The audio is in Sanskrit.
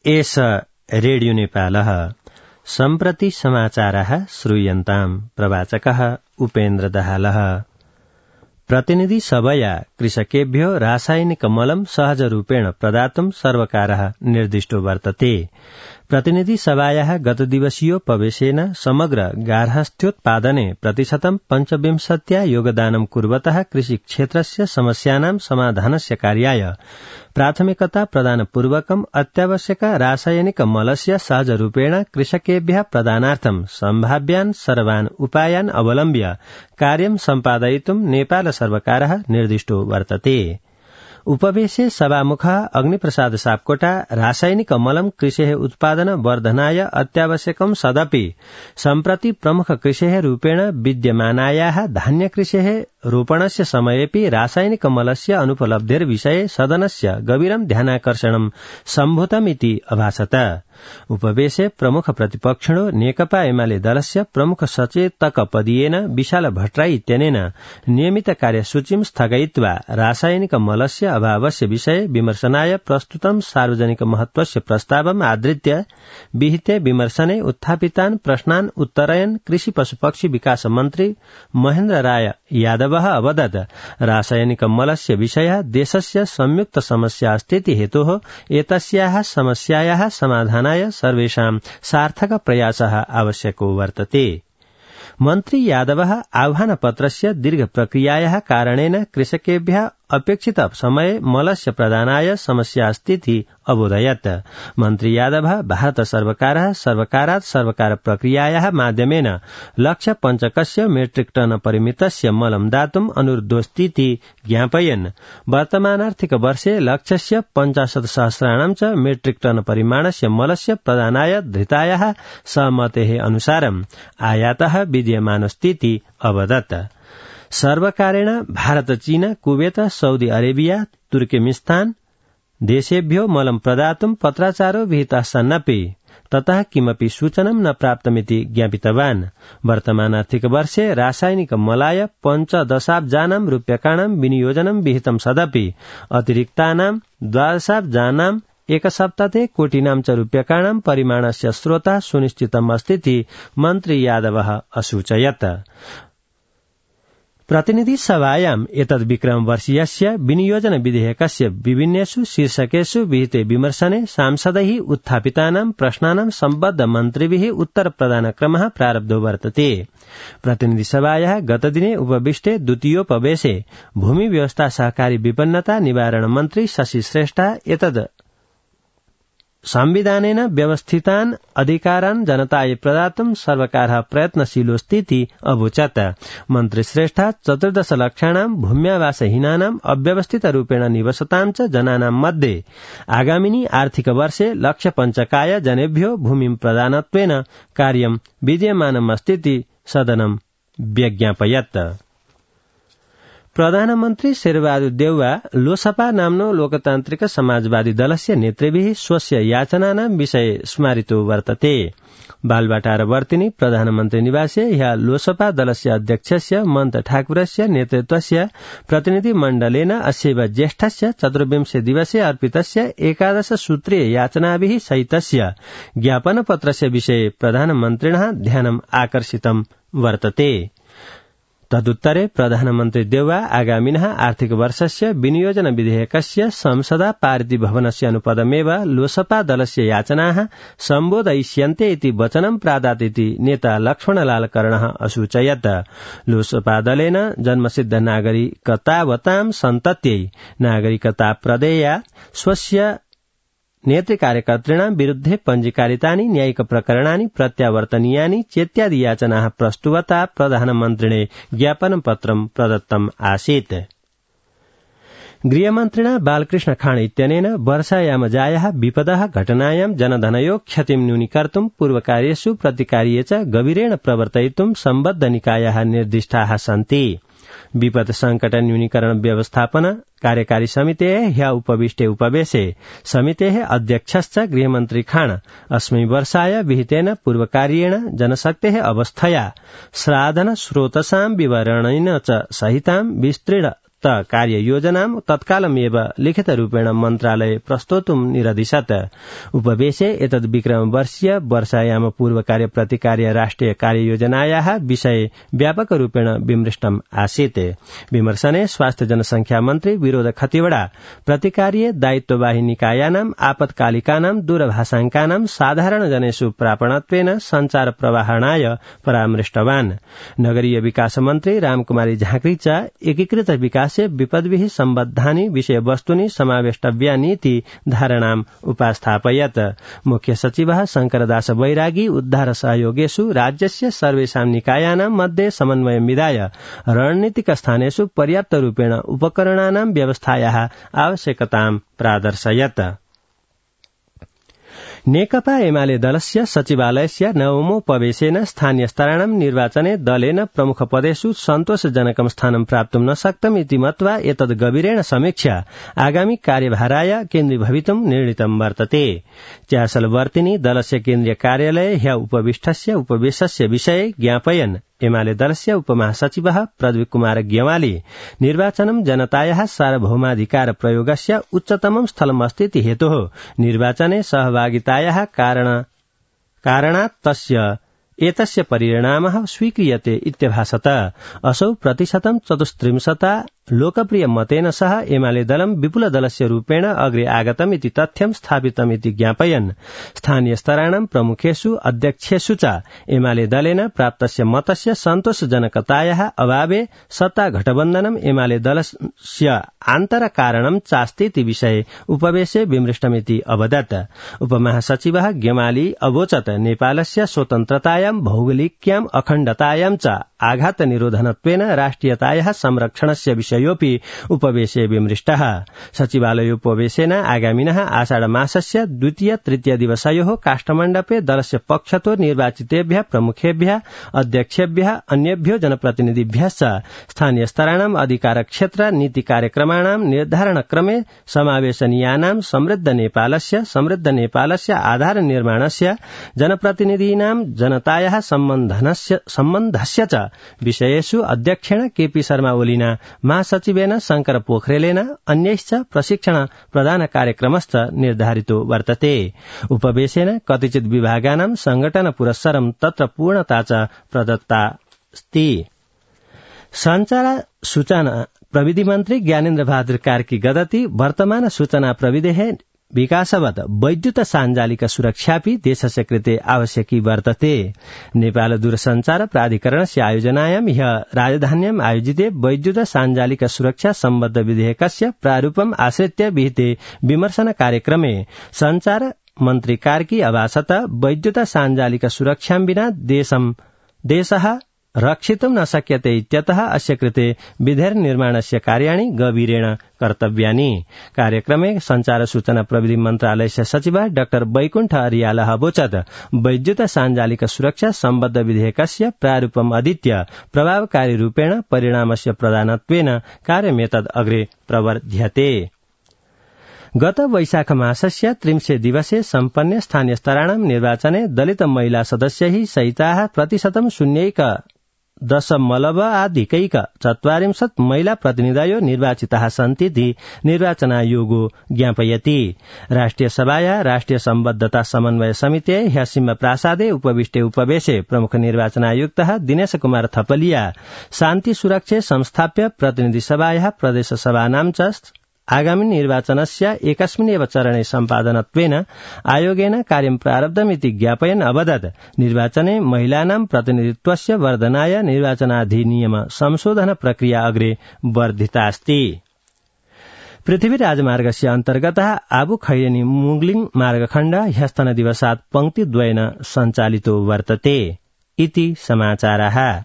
एष रेडियो नेपालः सम्प्रति समाचारः श्रूयन्ताम्। प्रवाचकः उपेन्द्र दाहालः। प्रतिनिधि सभया कृषकेभ्यो रासायनिकमलं सहजरूपेण प्रदातुं सर्वकारः निर्दिष्टो वर्तते। प्रतिनिधि सभायाः गतदिवसीयोपवेशेन समग्र गार्हस्थ्योत्पादने प्रतिशतं 25% योगदानं कुर्वतः कृषिक्षेत्रस्य समस्यानां समाधानस्य कार्याय प्राथमिकता प्रदानपूर्वकम् अत्यावश्यक रासायनिकमलस्य सहजरूपेण कृषकेभ्यः प्रदानार्थं सम्भाव्यान् सर्वान् उपायान् अवलम्ब्य कार्यं सम्पादयितुं नेपाल सर्वकारः निर्दिष्टो वर्तते। उपवेशे सभामुखः अग्निप्रसाद सापकोटा रासायनिकमलं कृषेः उत्पादन वर्धनाय अत्यावश्यकं सदपि सम्प्रति प्रमुख कृषेः रूपेण विद्यमानायाः धान्यकृषेः रोपणस्य समयेपि रासायनिकमलस्य अनुपलब्धेर्विषये सदनस्य गभीरं ध्यानाकर्षणं सम्भूतमिति अभासत। उपवेशे प्रमुख प्रतिपक्षिणो नेकपा एमाले दलस्य प्रमुख सचेतकपदीयेन विशाल भट्टराई इत्यनेन नियमित कार्यसूचीं स्थगयित्वा रासायनिकमलस्य अभावस्य विषये विमर्शनाय प्रस्तुतं सार्वजनिक महत्वस्य प्रस्तावम् आधृत्य विहिते विमर्शने उत्थापितान् प्रश्नान् उत्तरयन् कृषि पशुपक्षी विकास मन्त्री महेन्द्र राय यादवः अवदत् रासायनिकमलस्य विषयः देशस्य संयुक्त समस्या अस्तीति हेतोः एतस्याः समस्यायाः समाधानाय सर्वेषां सार्थक प्रयासः आवश्यको वर्तते। मन्त्री यादवः आह्वानपत्रस्य दीर्घ प्रक्रियायाः कारणेन कृषकेभ्यः अपेक्षित समये मलस्य प्रदानाय समस्या अस्तीति अबोधयत्। मन्त्री यादवः भारत सर्वकारात् सर्वकार प्रक्रियायाः माध्यमेन लक्ष्य पञ्चकस्य मेट्रिक टन परिमितस्य मलं दातुम् अनुरोधोऽस्तीति ज्ञापयन्। वर्तमानार्थिक वर्षे लक्ष्यस्य 50,000 च मेट्रिक टन परिमाणस्य मलस्य प्रदानाय धृतायाः सहमतेः अनुसारम् आयातः विद्यमानोऽस्तीति अवदत्। सर्वकारेण भारत, चीन, कुवेत, सऊदी अरेबिया, तुर्कमेनिस्तान देशेभ्यो मलं प्रदातुं पत्राचारो विहितः सन्नपि ततः किमपि सूचनं न प्राप्तमिति ज्ञापितवान्। वर्तमान आर्थिक वर्षे रासायनिक मलाय 15,000 रूप्यकाणां विनियोजनं विहितं सदपि अतिरिक्तानां 12,000 एकसप्ताहे कोटिनां च रूप्यकाणां परिमाणस्य स्रोतः सुनिश्चितम् अस्तीति मन्त्री यादवः असूचयत्। प्रतिनिधि सभायाम् एतद् विक्रमवर्षीयस्य विनियोजन विधेयकस्य विभिन्नेषु शीर्षकेषु विहिते विमर्शने सांसदैः उत्थापितानां प्रश्नानां सम्बद्ध मन्त्रिभिः उत्तर प्रदानक्रमः प्रारब्धो वर्तते। प्रतिनिधि सभायाः गतदिने उपविष्टे द्वितीयोपवेशे भूमि व्यवस्था सहकारी विपन्नता निवारण मन्त्री शशि श्रेष्ठः एतद् संविधानेन व्यवस्थितान् अधिकारान् जनताय प्रदातुं सर्वकारः प्रयत्नशीलोऽस्तीति अवोचत्। मन्त्री श्रेष्ठः 14 लक्षाणां भूम्यावासहीनानां अव्यवस्थितरूपेण निवसतां च जनानां मध्ये आगामिनि आर्थिक वर्षे लक्ष्य पञ्चकाय जनेभ्यो भूमिं प्रदानत्वेन कार्यं विद्यमानमस्तीति सदनं व्यज्ञापयत्। प्रधानमन्त्री शेरबहादुर देउवा लोसपा नाम्नो लोकतान्त्रिक समाजवादी दलस्य नेतृभिः स्वस्य याचनानां विषये स्मारितो वर्तते। बालबाटारवर्तिनि प्रधानमन्त्री निवासे ह्यः लोसपा दलस्य अध्यक्षस्य मन्त ठाकुरस्य नेतृत्वस्य प्रतिनिधिमण्डलेन अस्यैव ज्येष्ठस्य 24 दिवसे अर्पितस्य 11 सूत्रीय याचनाभिः सहितस्य ज्ञापनपत्रस्य विषये प्रधानमन्त्रिणः ध्यानम् आकर्षितं वर्तते। तदुत्तरे प्रधानमन्त्री देउवा आगामिनः आर्थिक वर्षस्य विनियोजन विधेयकस्य संसदा पारितभवनस्य अनुपदमेव लोसपा दलस्य याचनाः सम्बोधयिष्यन्ते इति वचनं प्रादातीति नेता लक्ष्मणलाल कर्णः असूचयत्। लोसपा दलेन जन्मसिद्ध नागरिकतावतां सन्तत्यै नागरिकता प्रदेया स्वस्य नेतृकार्यकर्तॄणां विरुद्धे पञ्जीकारितानि न्यायिक प्रकरणानि प्रत्यावर्तनीयानि चेत्यादि याचनाः प्रस्तुवता प्रधानमन्त्रिणे ज्ञापनपत्रं प्रदत्तम् आसीत्। गृहमन्त्रिणा बालकृष्ण खाँड इत्यनेन वर्षायामजायाः विपदः घटनायां जनधनयो क्षतिं न्यूनीकर्तुं पूर्वकार्येषु प्रतिकार्ये च गभीरेण प्रवर्तयितुं सम्बद्ध निकायाः निर्दिष्टाः सन्ति। विपद संकट न्यूनीकरण व्यवस्थापन कार्यकारी समितेः ह्यः उपविष्टे उपवेशे समितेः अध्यक्षश्च गृहमन्त्री खाँड अस्मै वर्षाय विहितेन पूर्वकार्येण जनशक्तेः अवस्थया साधन स्रोतसां विवरणेन च सहितां विस्तृत प्रदत्त कार्ययोजनां तत्कालमेव लिखितरूपेण मन्त्रालय प्रस्तोतुं निरदिशत्। उपवेशे एतद् विक्रमवर्षीय वर्षायाम पूर्वकार्य प्रतिकार्य राष्ट्रिय कार्ययोजनायाः विषये व्यापकरूपेण विमृष्टम् आसीत्। विमर्शने स्वास्थ्य जनसंख्या मन्त्री विनोद खतिवड़ा प्रतिकार्य दायित्ववाही निकायानाम् आपत्कालिकानां दूरभाषाङ्कानां साधारणजनेषु प्रापणत्वेन सञ्चार प्रवाहणाय परामृष्टवान्। नगरीय विकास मन्त्री रामकुमारी झाँक्री च एकीकृत विकासे विपद्भिः सम्बद्धानि विषयवस्तूनि समावेष्टव्यानीति धारणाम् उपास्थापयत्। मुख्य सचिवः शंकरदास बैरागी उद्धार सहयोगेषु राज्यस्य सर्वेषां निकायानां मध्ये समन्वयं विधाय रणनीतिक स्थानेषु पर्याप्तरूपेण उपकरणानां व्यवस्थायाः आवश्यकतां प्रादर्शयत्। नेकपा एमाले दलस्य सचिवालयस्य नवमोपवेशेन स्थानीयस्तराणां निर्वाचने दलेन प्रमुखपदेषु सन्तोषजनकं स्थानं प्राप्तुं न शक्तम् इति मत्वा एतद् गभीरेण समीक्ष्य आगामी कार्यभाराय केन्द्रीभवितुं निर्णीतं वर्तते। च्यासलवर्तिनी दलस्य केन्द्रीय कार्यालये ह्य उपविष्टस्य उपवेशस्य विषये ज्ञापयन् एमाले दलस्य उपमहासचिवः प्रदीप कुमार ग्यवाली निर्वाचनं जनतायाः सार्वभौमाधिकार प्रयोगस्य उच्चतमं स्थलमस्तीति हेतोः निर्वाचने सहभागितायाः कारणात् एतस्य परिणामः स्वीक्रियते इत्यभाषत। असौ 34% लोकप्रिय mateन सह एमाले दलं विपुल दलस्य रूपेण अग्रे आगतम् इति तथ्यं स्थापितम् इति ज्ञापयन्। स्थानीय स्तराणां प्रमुखेषु अध्यक्षेषु च एमाले दलेन प्राप्तस्य मतस्य सन्तोषजनकतायाः अभावे सत्ता गठबन्धनम् एमाले दलस्य आन्तरकारणं चास्ति इति विषये उपवेशे विमृष्टमिति अवदत्। उपमहासचिवः ग्यमाली अवोचत् नेपालस्य स्वतन्त्रतायां भौगोलिक्यां अखण्डतायां च आघात निरोधनत्वेन राष्ट्रियतायाः संरक्षणस्य विषयोऽपि उपवेशे विमृष्टः। सचिवालयोपवेशेन आगामिनः आषाढ मासस्य द्वितीय तृतीय दिवसयोः काष्ठमण्डपे दलस्य पक्षतो निर्वाचितेभ्यः प्रमुखेभ्यः अध्यक्षेभ्यः अन्येभ्यो जनप्रतिनिधिभ्यश्च स्थानीय स्तराणां अधिकार क्षेत्र नीति कार्यक्रमाणां निर्धारणक्रमे समावेशनीयानां समृद्ध नेपालस्य आधार निर्माणस्य जनप्रतिनिधीनां जनतायाः सम्बन्धस्य च विषयेषु अध्यक्षेण केपी शर्मा ओलीना महासचिवेन शंकर पोखरेलेन अन्यैश्च प्रशिक्षण प्रदान कार्यक्रमश्च निर्धारितो वर्तते। उपवेशेन कतिचित् विभागानां संघटन पुरस्सरं तत्र पूर्णता च प्रदत्तास्ति। संचार सूचना प्रविधि मन्त्री ज्ञानेन्द्र बहादुर कार्की गदति वर्तमान सूचना प्रविधेः विकासवत् वैद्युत साञ्जालिक सुरक्षापि देशस्य कृते आवश्यकी वर्तते। नेपाल दूरसञ्चार प्राधिकरणस्य आयोजनायां ह्यः राजधान्याम् आयोजिते वैद्युत साञ्जालिक सुरक्षा सम्बद्ध विधेयकस्य प्रारूपम् आश्रित्य विहिते विमर्शन कार्यक्रमे संचार मन्त्री कार्की अभाषत वैद्युत साञ्जालिक सुरक्षां विना देशः रक्षितुं न शक्यते इत्यतः अस्य कृते विधेयकनिर्माणस्य कार्याणि गभीरेण कर्तव्यानि। कार्यक्रमे संचार सूचना प्रविधि मन्त्रालयस्य सचिवः डाक्टर वैकुण्ठ अरियालः अवोचत् वैद्युत साञ्जालिक सुरक्षा सम्बद्ध विधेयकस्य प्रारूपम् अधीत्य प्रभावकारी रूपेण परिणामस्य प्रदानत्वेन कार्यमेतद् अग्रे प्रवर्ध्यते। गत वैशाख मासस्य 30 दिवसे सम्पन्ने स्थानीय स्तराणां निर्वाचने दलित महिला सदस्यैः सहिताः 0.0.4 महिला प्रतिनिधयो निर्वाचिताः सन्तीति निर्वाचनायोगो ज्ञापयति। राष्ट्रिय सभाया राष्ट्रिय सम्बद्धता समन्वय समिते ह्यसिंह प्रासादे उपविष्टे उपवेशे प्रमुख निर्वाचनायुक्तः दिनेश कुमार थपलिया शान्ति सुरक्षे संस्थाप्य प्रतिनिधि सभायाः प्रदेश सभानां च आगामी निर्वाचनस्य एकस्मिन्नेव चरणे सम्पादनत्वेन आयोगेन कार्यं प्रारब्धमिति ज्ञापयन् अवदत् निर्वाचने महिलानां प्रतिनिधित्वस्य वर्धनाय निर्वाचनाधिनियम संशोधन प्रक्रिया अग्रे वर्धितास्ति। पृथ्वी राजमार्गस्य अन्तर्गतः आबु खैरेनी मुगलिङ मार्गखण्ड ह्यस्तनदिवसात् पंक्तिद्वयेन सञ्चालितो वर्तते इति समाचारः।